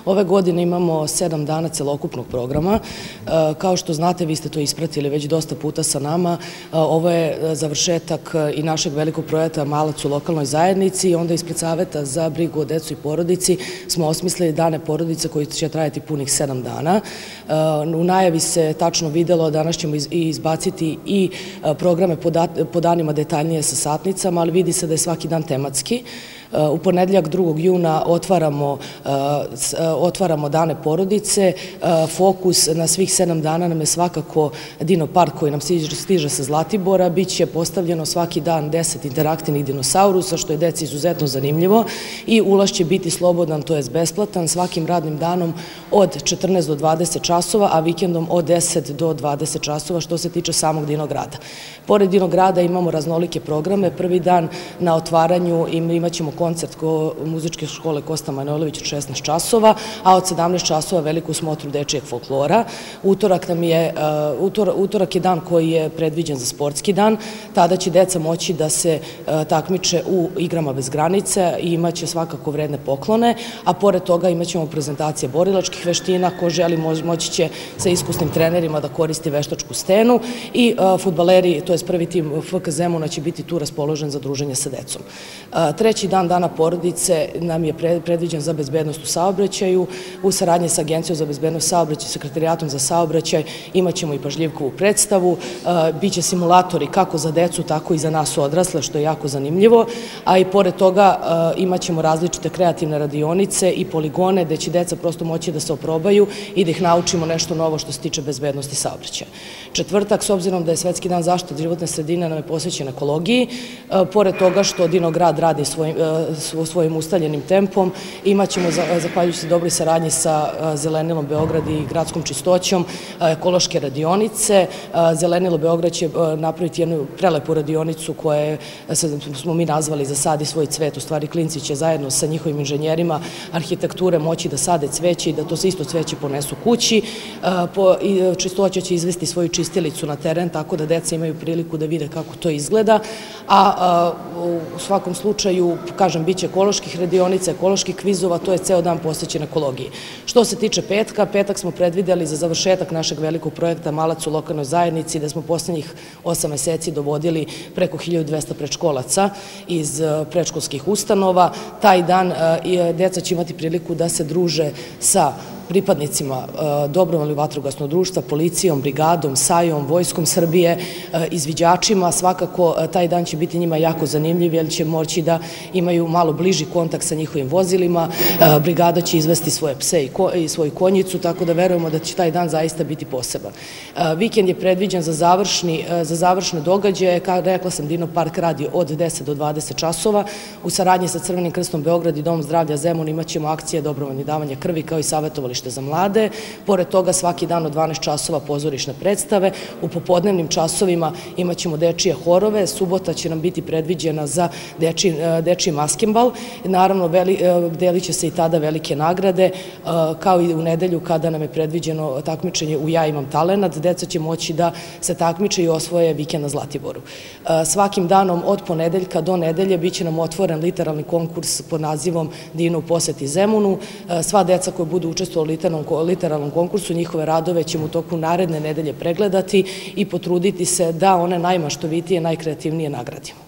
Ove godine imamo 7 dana celokupnog programa. Kao što znate, vi ste to ispratili već dosta puta sa nama. Ovo je završetak i našeg velikog projekta Malac u lokalnoj zajednici i onda ispred Saveta za brigu o decu i porodici smo osmislili dane porodice koji će trajati punih 7 dana. U najavi se tačno videlo, danas ćemo izbaciti i programe po danima detaljnije sa satnicama, ali vidi se da je svaki dan tematski. U ponedeljak 2. juna otvaramo dane porodice. Fokus na svih 7 dana nam je svakako Dino park koji nam stiže sa Zlatibora. Biće postavljeno svaki dan 10 interaktivnih dinosaurusa, što je deci izuzetno zanimljivo i ulaz će biti slobodan, to je besplatan, svakim radnim danom od 14 do 20 časova, a vikendom od 10 do 20 časova što se tiče samog Dinograda. Pored Dinograda imamo raznolike programe. Prvi dan na otvaranju imat ćemo koncert muzičke škole Kosta Manojlović od 16 časova, a od 17 časova veliku smotru dečijeg folklora. Utorak je dan koji je predviđen za sportski dan. Tada će deca moći da se takmiče u igrama bez granica i imaće svakako vredne poklone, a pored toga imat ćemo prezentacije borilačkih veština. Ko želi moći će sa iskusnim trenerima da koristi veštačku stenu i fudbaleri, to je prvi tim FK Zemuna, će biti tu raspoložen za druženje sa decom. Treći dan dana porodice nam je predviđen za bezbednost u saobraćaju. U saradnji sa Agencijom za bezbednost saobraćaja i Sekretarijatom za saobraćaj imat ćemo i pažljivkovu predstavu. Biće simulatori kako za decu, tako i za nas odrasle, što je jako zanimljivo. A i pored toga imat ćemo različite kreativne radionice i poligone gde će deca prosto moći da se oprobaju i da ih naučimo nešto novo što se tiče bezbednosti saobraćaja. Četvrtak, s obzirom da je Svetski dan zaštite životne sredine, nam je posvećen ekologiji. Pored toga što Dinograd radi svojim ustaljenim tempom, imat ćemo, zahvaljujući dobroj saradnji sa Zelenilom Beograd i gradskom čistoćom, ekološke radionice. Zelenilo Beograd će napraviti jednu prelepu radionicu koje smo mi nazvali Za sadi svoj cvet. U stvari, klinci će zajedno sa njihovim inženjerima arhitekture moći da sade cveće i da to isto cveće ponesu kući. Čistoća će izvesti svoju čistilicu na teren, tako da deca imaju priliku da vide kako to izgleda, a u svakom slučaju, kažem, biće ekoloških radionica, ekoloških kvizova, to je ceo dan posvećen ekologiji. Što se tiče petka, petak smo predvideli za završetak našeg velikog projekta Malac u lokalnoj zajednici, da smo poslednjih 8 meseci dovodili preko 1200 predškolaca iz predškolskih ustanova. Taj dan deca će imati priliku da se druže sa pripadnicima dobrovoljnog vatrogasnog društva, policijom, brigadom, SAJ-om, Vojskom Srbije, izviđačima. Svakako taj dan će biti njima jako zanimljiv jer će moći da imaju malo bliži kontakt sa njihovim vozilima. Brigada će izvesti svoje pse i svoju konjicu, tako da verujemo da će taj dan zaista biti poseban. Vikend je predviđen za završne događaje. Rekla sam, Dino park radi od 10 do 20 časova. U saradnji sa Crvenim krstom Beograd i Dom zdravlja Zemun imat ćemo akcije dobrovoljnih davanja krvi kao i savjetovalište za mlade. Pored toga svaki dan od 12 časova pozorišne predstave. U popodnevnim časovima imat ćemo dečije horove. Subota će nam biti predviđena za dečiji maskembal. Naravno, delit će se i tada velike nagrade, kao i u nedelju kada nam je predviđeno takmičenje U ja imam talenat. Deca će moći da se takmiče i osvoje vikend na Zlatiboru. Svakim danom od ponedeljka do nedelje biće nam otvoren literalni konkurs pod nazivom Dino u poseti Zemunu. Sva deca koja budu učestvovali u literalnom konkursu, njihove radove ćemo u toku naredne nedelje pregledati i potruditi se da one najmaštovitije, najkreativnije nagradimo.